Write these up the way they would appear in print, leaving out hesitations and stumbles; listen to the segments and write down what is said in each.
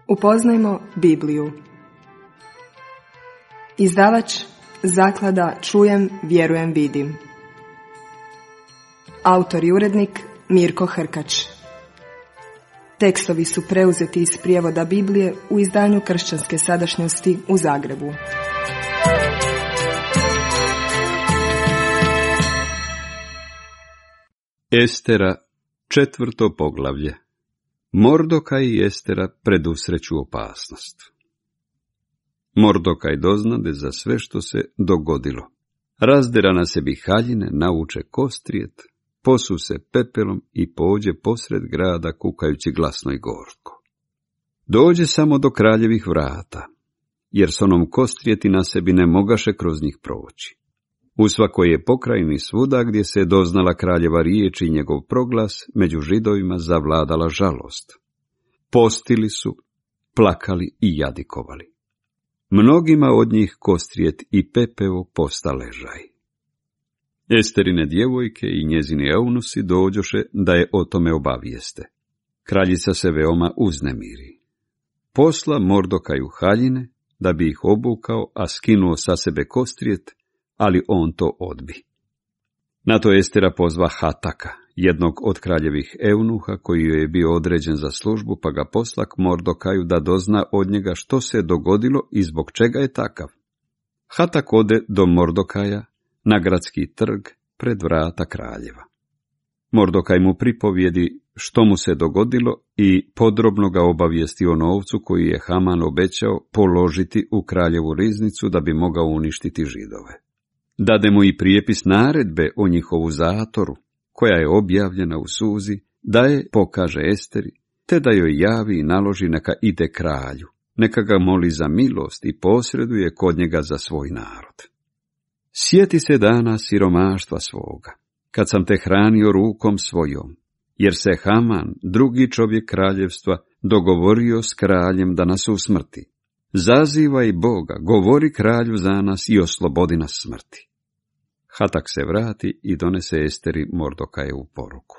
Upoznajmo Bibliju. Izdavač Zaklada Čujem, vjerujem, vidim. Autor i urednik Mirko Hrkač. Tekstovi su preuzeti iz prijevoda Biblije u izdanju Kršćanske sadašnjosti u Zagrebu. Estera, 4. poglavlje. Mordokaj i Estera predusreću opasnost. Mordokaj doznade za sve što se dogodilo. Razdera na sebi haljine, nauče kostrijet, posu se pepelom i pođe posred grada kukajući glasno i gorko. Dođe samo do kraljevih vrata, jer s onom kostrijeti na sebi ne mogaše kroz njih proći. U svakoj je pokrajini svuda gdje se doznala kraljeva riječ i njegov proglas, među Židovima zavladala žalost. Postili su, plakali i jadikovali. Mnogima od njih kostrijet i pepeo posta ležaj. Esterine djevojke i njezini eunusi dođoše da je o tome obavijeste. Kraljica se veoma uznemiri. Posla Mordokaju haljine da bi ih obukao, a skinuo sa sebe kostrijet, ali on to odbi. Na to Estera pozva Hataka, jednog od kraljevih eunuha koji joj je bio određen za službu, pa ga posla k Mordokaju da dozna od njega što se dogodilo i zbog čega je takav. Hatak ode do Mordokaja na gradski trg pred vrata kraljeva. Mordokaj mu pripovijedi što mu se dogodilo i podrobno ga obavijesti o novcu koji je Haman obećao položiti u kraljevu riznicu da bi mogao uništiti Židove. Dade mu i prijepis naredbe o njihovu zatoru, koja je objavljena u suzi, da je pokaže Esteri, te da joj javi i naloži neka ide kralju, neka ga moli za milost i posreduje kod njega za svoj narod. Sjeti se dana siromaštva svoga, kad sam te hranio rukom svojom, jer se Haman, drugi čovjek kraljevstva, dogovorio s kraljem da nas usmrti. Zazivaj Boga, govori kralju za nas i oslobodi nas smrti. Hatak se vrati i donese Esteri Mordokajevu poruku.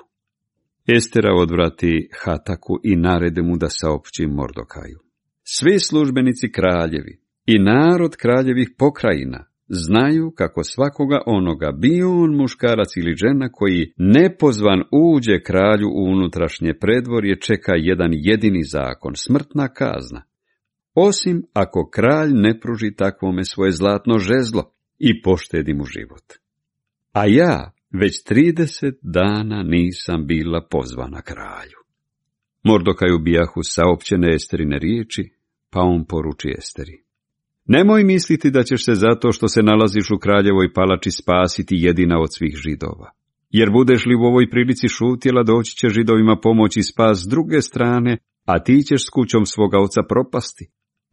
Estera odvrati Hataku i narede mu da saopći Mordokaju. Svi službenici kraljevi i narod kraljevih pokrajina znaju kako svakoga onoga, bio on muškarac ili žena, koji nepozvan uđe kralju u unutrašnje predvorje, čeka jedan jedini zakon, smrtna kazna. Osim ako kralj ne pruži takvome svoje zlatno žezlo i poštedi mu život. A ja već 30 dana nisam bila pozvana kralju. Mordokaju bijahu saopćene Esterine riječi, pa on poruči Esteri. Nemoj misliti da ćeš se zato što se nalaziš u kraljevoj palači spasiti jedina od svih Židova. Jer budeš li u ovoj prilici šutjela, doći će Židovima pomoći i spas s druge strane, a ti ćeš s kućom svoga oca propasti.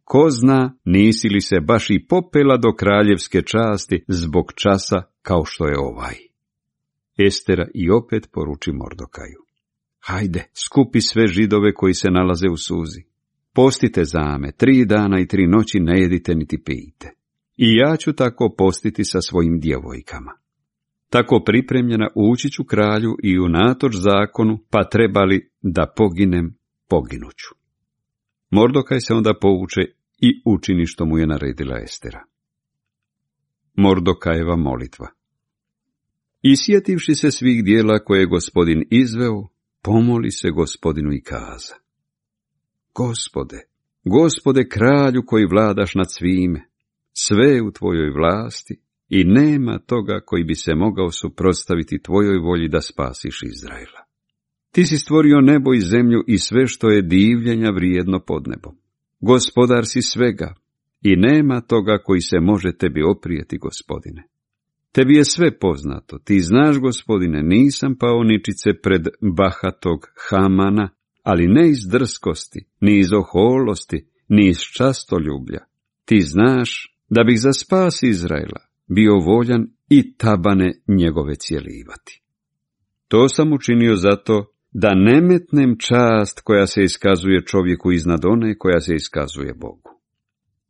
Ko zna, nisi li se baš i popela do kraljevske časti zbog časa kao što je ovaj. Estera i opet poruči Mordokaju. Hajde, skupi sve Židove koji se nalaze u suzi. Postite za me, 3 dana i 3 noći ne jedite niti pijte. I ja ću tako postiti sa svojim djevojkama. Tako pripremljena ući ću kralju i unatoč zakonu, pa trebali da poginem, poginuću. Mordokaj se onda povuče i učini što mu je naredila Estera. Mordokajeva molitva. I sjetivši se svih dijela koje je Gospodin izveo, pomoli se Gospodinu i kaza. Gospode kralju koji vladaš nad svime, sve je u tvojoj vlasti i nema toga koji bi se mogao suprotstaviti tvojoj volji da spasiš Izraela. Ti si stvorio nebo i zemlju i sve što je divljenja vrijedno pod nebom. Gospodar si svega i nema toga koji se može tebi oprijeti, Gospodine. Tebi je sve poznato, ti znaš, Gospodine, nisam pao ničice pred bahatog Hamana, ali ne iz drskosti, ni iz oholosti, ni iz častoljublja. Ti znaš da bih za spas Izraela bio voljan i tabane njegove cjelivati. To sam učinio zato da ne metnem čast koja se iskazuje čovjeku iznad one koja se iskazuje Bogu.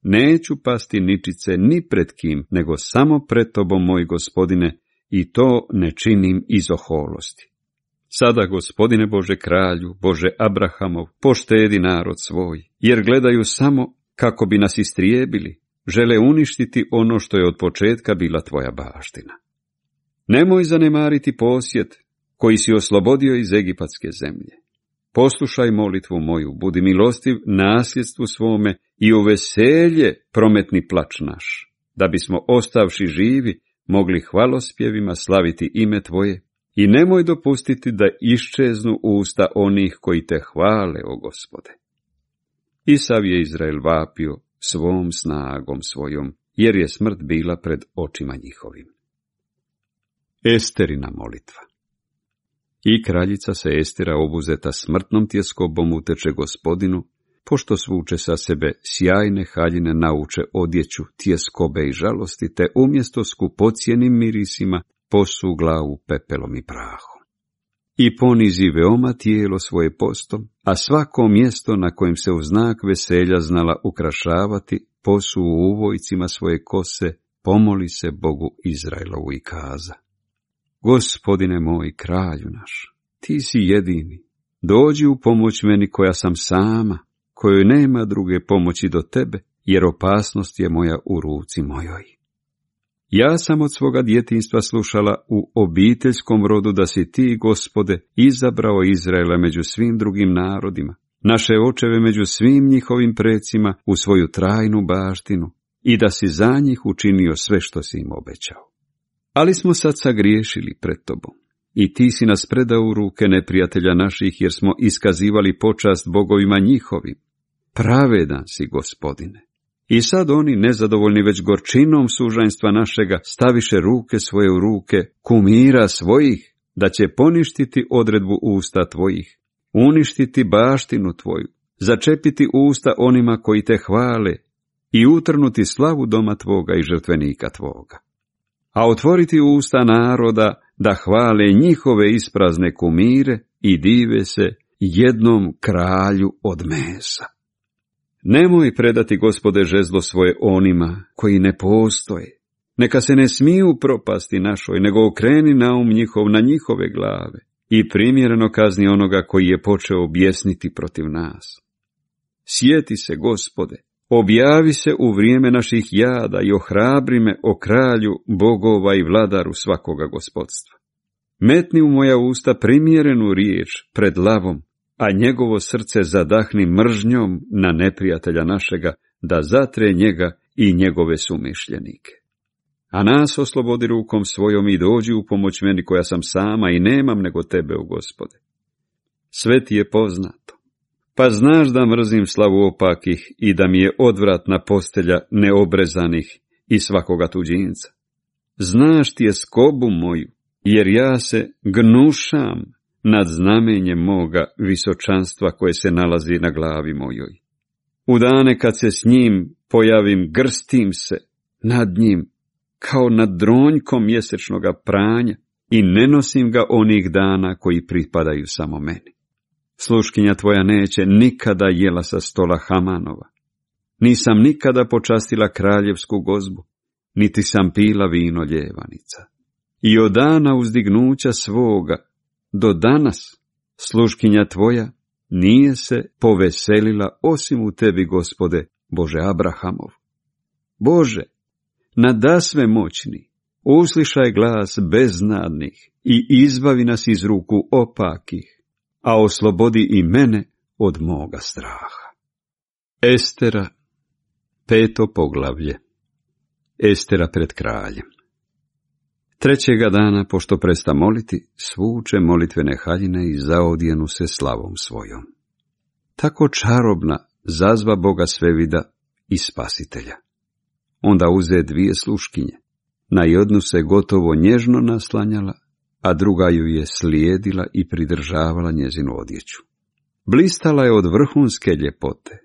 Neću pasti ničice ni pred kim, nego samo pred tobom, moj Gospodine, i to ne činim iz oholosti. Sada, Gospodine Bože kralju, Bože Abrahamov, poštedi narod svoj, jer gledaju samo kako bi nas istrijebili, žele uništiti ono što je od početka bila tvoja baština. Nemoj zanemariti posjed koji si oslobodio iz egipatske zemlje. Poslušaj molitvu moju, budi milostiv nasljedstvu svome i u veselje prometni plač naš, da bismo ostavši živi mogli hvalospjevima slaviti ime tvoje i nemoj dopustiti da iščeznu usta onih koji te hvale, o Gospode. I sav je Izrael vapio svom snagom svojom, jer je smrt bila pred očima njihovim. Esterina molitva. I kraljica se Estera, obuzeta smrtnom tjeskobom, uteče Gospodinu, pošto svuče sa sebe sjajne haljine nauče odjeću, tjeskobe i žalosti, te umjesto skupocjenim mirisima posu glavu pepelom i prahom. I ponizi veoma tijelo svoje postom, a svako mjesto na kojem se u znak veselja znala ukrašavati, posu u uvojcima svoje kose, pomoli se Bogu Izraelovu i kaza: Gospodine moj, kralju naš, ti si jedini, dođi u pomoć meni koja sam sama, kojoj nema druge pomoći do tebe, jer opasnost je moja u ruci mojoj. Ja sam od svoga djetinjstva slušala u obiteljskom rodu da si ti, Gospode, izabrao Izraela među svim drugim narodima, naše očeve među svim njihovim precima u svoju trajnu baštinu, i da si za njih učinio sve što si im obećao. Ali smo sad sagriješili pred tobom, i ti si nas predao u ruke neprijatelja naših, jer smo iskazivali počast bogovima njihovim. Pravedan si, Gospodine. I sad oni, nezadovoljni već gorčinom sužanjstva našega, staviše ruke svoje u ruke kumira svojih, da će poništiti odredbu usta tvojih, uništiti baštinu tvoju, začepiti usta onima koji te hvale i utrnuti slavu doma tvoga i žrtvenika tvoga. A otvoriti usta naroda da hvale njihove isprazne kumire i dive se jednom kralju od mesa. Nemoj predati, Gospode, žezlo svoje onima koji ne postoje. Neka se ne smiju propasti našoj, nego okreni naum njihov na njihove glave i primjereno kazni onoga koji je počeo objesniti protiv nas. Sjeti se, Gospode, objavi se u vrijeme naših jada i ohrabri me, o kralju bogova i vladaru svakoga gospodstva. Metni u moja usta primjerenu riječ pred lavom, a njegovo srce zadahni mržnjom na neprijatelja našega, da zatre njega i njegove sumišljenike. A nas oslobodi rukom svojom i dođi u pomoć meni koja sam sama i nemam nego tebe, o Gospode. Sve ti je poznato, pa znaš da mrzim slavu opakih i da mi je odvratna postelja neobrezanih i svakoga tuđinca. Znaš ti je skobu moju, jer ja se gnušam nad znamenjem moga visočanstva koje se nalazi na glavi mojoj. U dane kad se s njim pojavim, grstim se nad njim kao nad dronjkom mjesečnoga pranja i ne nosim ga onih dana koji pripadaju samo meni. Sluškinja tvoja neće nikada jela sa stola Hamanova. Nisam nikada počastila kraljevsku gozbu, niti sam pila vino ljevanica. I od dana uzdignuća svoga do danas sluškinja tvoja nije se poveselila osim u tebi, Gospode, Bože Abrahamov. Bože, nadasve moćni, uslišaj glas beznadnih i izbavi nas iz ruku opakih, a oslobodi i mene od moga straha. Estera, 5. poglavlje. Estera pred kraljem. 3. dana, pošto presta moliti, svuče molitvene haljine i zaodjenu se slavom svojom. Tako čarobna zazva Boga svevida i spasitelja. Onda uze 2 sluškinje. Na jednu se gotovo nježno naslanjala, a druga ju je slijedila i pridržavala njezinu odjeću. Blistala je od vrhunske ljepote.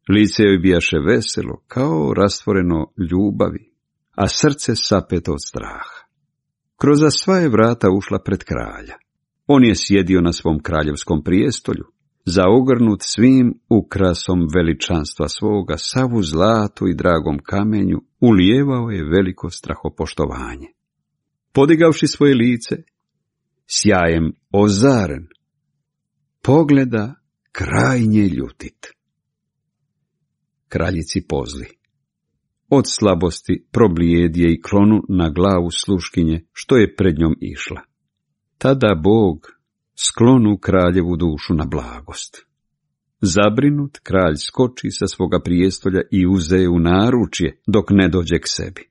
Lice joj bijaše veselo, kao rastvoreno ljubavi, a srce sapeto od straha. Kroz sva je vrata ušla pred kralja. On je sjedio na svom kraljevskom prijestolju, zaogrnut svim ukrasom veličanstva svoga, sav u zlatu i dragom kamenju, ulijevao je veliko strahopoštovanje. Podigavši svoje lice, sjajem ozaren, pogleda krajnje ljutit. Kraljici pozli. Od slabosti problijedje i klonu na glavu sluškinje, što je pred njom išla. Tada Bog sklonu kraljevu dušu na blagost. Zabrinut, kralj skoči sa svoga prijestolja i uze u naručje, dok ne dođe k sebi.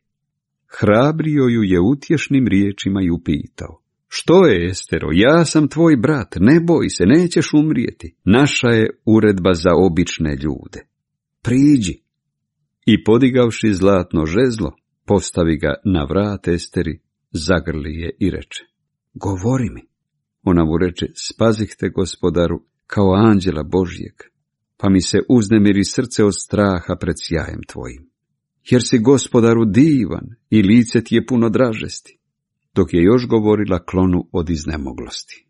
Hrabrio ju je utješnim riječima i upitao: što je, Estero, ja sam tvoj brat, ne boj se, nećeš umrijeti. Naša je uredba za obične ljude. Priđi. I podigavši zlatno žezlo, postavi ga na vrat Esteri, zagrli je i reče: govori mi. Ona mu reče: spazih te, gospodaru, kao anđela Božjeg, pa mi se uznemiri srce od straha pred sjajem tvojim. Jer si, gospodaru, divan i lice ti je puno dražesti. Dok je još govorila, klonu od iznemoglosti.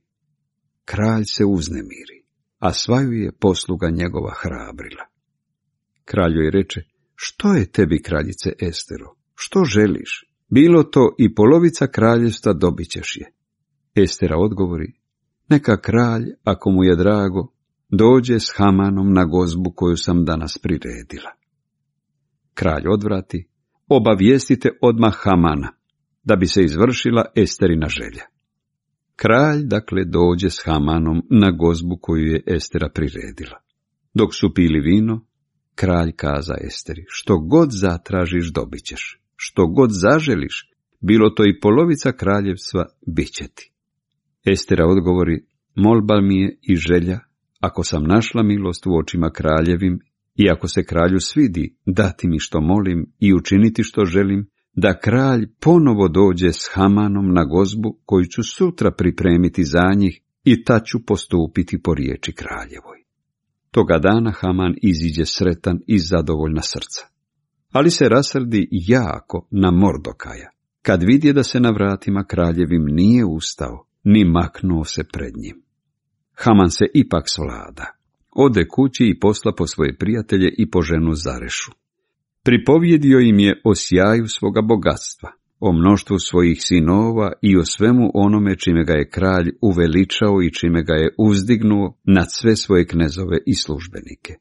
Kralj se uznemiri, a svaju je posluga njegova hrabrila. Kralj joj reče: što je tebi, kraljice Estero, što želiš? Bilo to i polovica kraljevstva dobit ćeš je. Estera odgovori: neka kralj, ako mu je drago, dođe s Hamanom na gozbu koju sam danas priredila. Kralj odvrati: obavijestite odmah Hamana, da bi se izvršila Esterina želja. Kralj, dakle, dođe s Hamanom na gozbu koju je Estera priredila. Dok su pili vino, kralj kaza Esteri: što god zatražiš dobit ćeš, što god zaželiš, bilo to i polovica kraljevstva, bit će ti. Estera odgovori: molba mi je i želja, ako sam našla milost u očima kraljevim i ako se kralju svidi, dati mi što molim i učiniti što želim, da kralj ponovo dođe s Hamanom na gozbu koju ću sutra pripremiti za njih i ta ću postupiti po riječi kraljevoj. Toga dana Haman iziđe sretan i zadovoljna srca. Ali se rasrdi jako na Mordokaja, kad vidje da se na vratima kraljevim nije ustao, ni maknuo se pred njim. Haman se ipak svlada. Ode kući i posla po svoje prijatelje i po ženu Zarešu. Pripovjedio im je o sjaju svoga bogatstva, o mnoštvu svojih sinova i o svemu onome čime ga je kralj uveličao i čime ga je uzdignuo nad sve svoje knezove i službenike.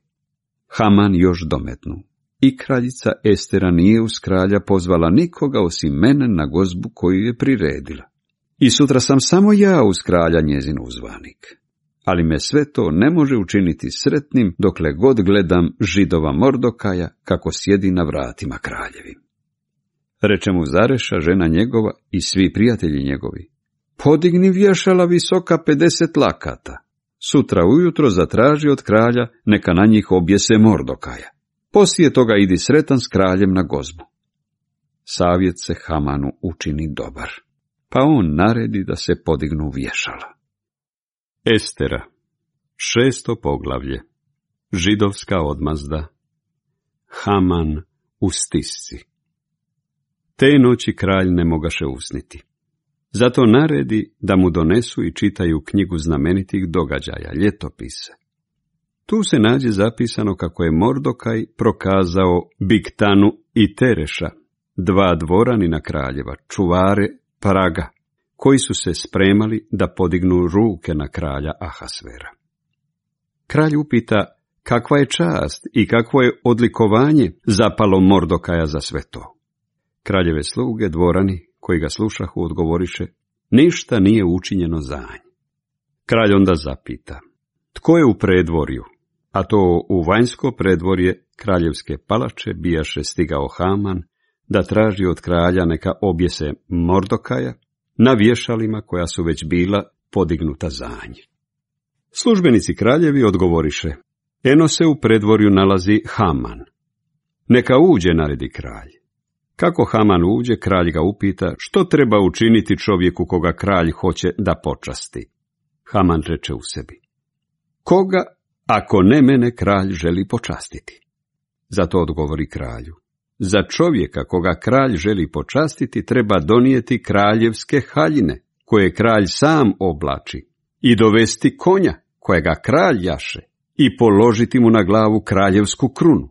Haman još dometnu: i kraljica Estera nije uz kralja pozvala nikoga osim mene na gozbu koju je priredila. I sutra sam samo ja uz kralja njezin uzvanik. Ali me sve to ne može učiniti sretnim dokle god gledam Židova Mordokaja kako sjedi na vratima kraljevim. Reče mu Zareša, žena njegova, i svi prijatelji njegovi: podigni vješala visoka 50 lakata. Sutra ujutro zatraži od kralja, neka na njih objese Mordokaja. Poslije toga idi sretan s kraljem na gozbu. Savjet se Hamanu učini dobar, pa on naredi da se podignu vješala. Estera, 6. poglavlje. Židovska odmazda. Haman u stisci. Te noći kralj ne mogaše usniti. Zato naredi da mu donesu i čitaju knjigu znamenitih događaja, ljetopise. Tu se nađe zapisano kako je Mordokaj prokazao Bigtanu i Tereša, 2 dvoranina kraljeva, čuvare praga, koji su se spremali da podignu ruke na kralja Ahasvera. Kralj upita kakva je čast i kakvo je odlikovanje zapalo Mordokaja za sve to. Kraljeve sluge, dvorani, koji ga slušahu, odgovoriše: ništa nije učinjeno za nj. Kralj onda zapita: tko je u predvorju? A to u vanjsko predvorje kraljevske palače bijaše stigao Haman da traži od kralja neka objese Mordokaja na vješalima koja su već bila podignuta za nj. Službenici kraljevi odgovoriše: eno se u predvorju nalazi Haman. Neka uđe, naredi kralj. Kako Haman uđe, kralj ga upita što treba učiniti čovjeku koga kralj hoće da počasti. Haman reče u sebi: koga, ako ne mene, kralj želi počastiti? Zato odgovori kralju: za čovjeka koga kralj želi počastiti treba donijeti kraljevske haljine, koje kralj sam oblači, i dovesti konja, kojega kralj jaše, i položiti mu na glavu kraljevsku krunu.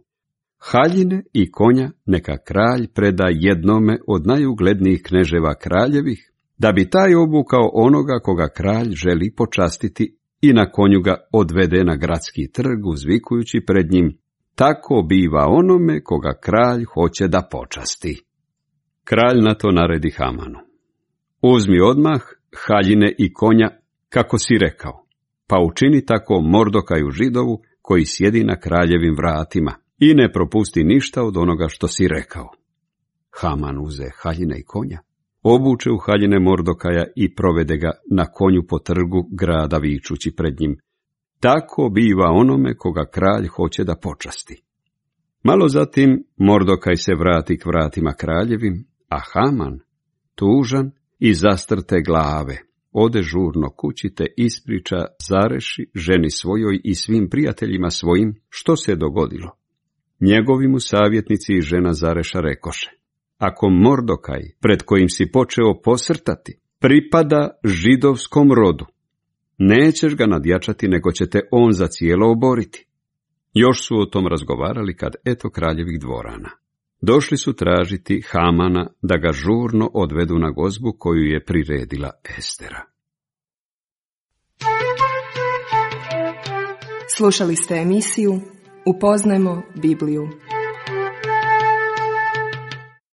Haljine i konja neka kralj preda jednome od najuglednijih kneževa kraljevih, da bi taj obukao onoga koga kralj želi počastiti i na konju ga odvede na gradski trg uzvikujući pred njim: tako biva onome koga kralj hoće da počasti. Kralj na to naredi Hamanu: uzmi odmah haljine i konja, kako si rekao, pa učini tako Mordokaju Židovu koji sjedi na kraljevim vratima i ne propusti ništa od onoga što si rekao. Haman uze haljine i konja, obuče u haljine Mordokaja i provede ga na konju po trgu grada vičući pred njim: tako biva onome koga kralj hoće da počasti. Malo zatim Mordokaj se vrati k vratima kraljevim, a Haman, tužan i zastrte glave, ode žurno kući te ispriča Zareši, ženi svojoj i svim prijateljima svojim, što se dogodilo. Njegovi mu savjetnici i žena Zareša rekoše: ako Mordokaj, pred kojim si počeo posrtati, pripada židovskom rodu, nećeš ga nadjačati, nego će te on za cijelo oboriti. Još su o tom razgovarali kad eto kraljevih dvorana. Došli su tražiti Hamana da ga žurno odvedu na gozbu koju je priredila Estera. Slušali ste emisiju Upoznajmo Bibliju.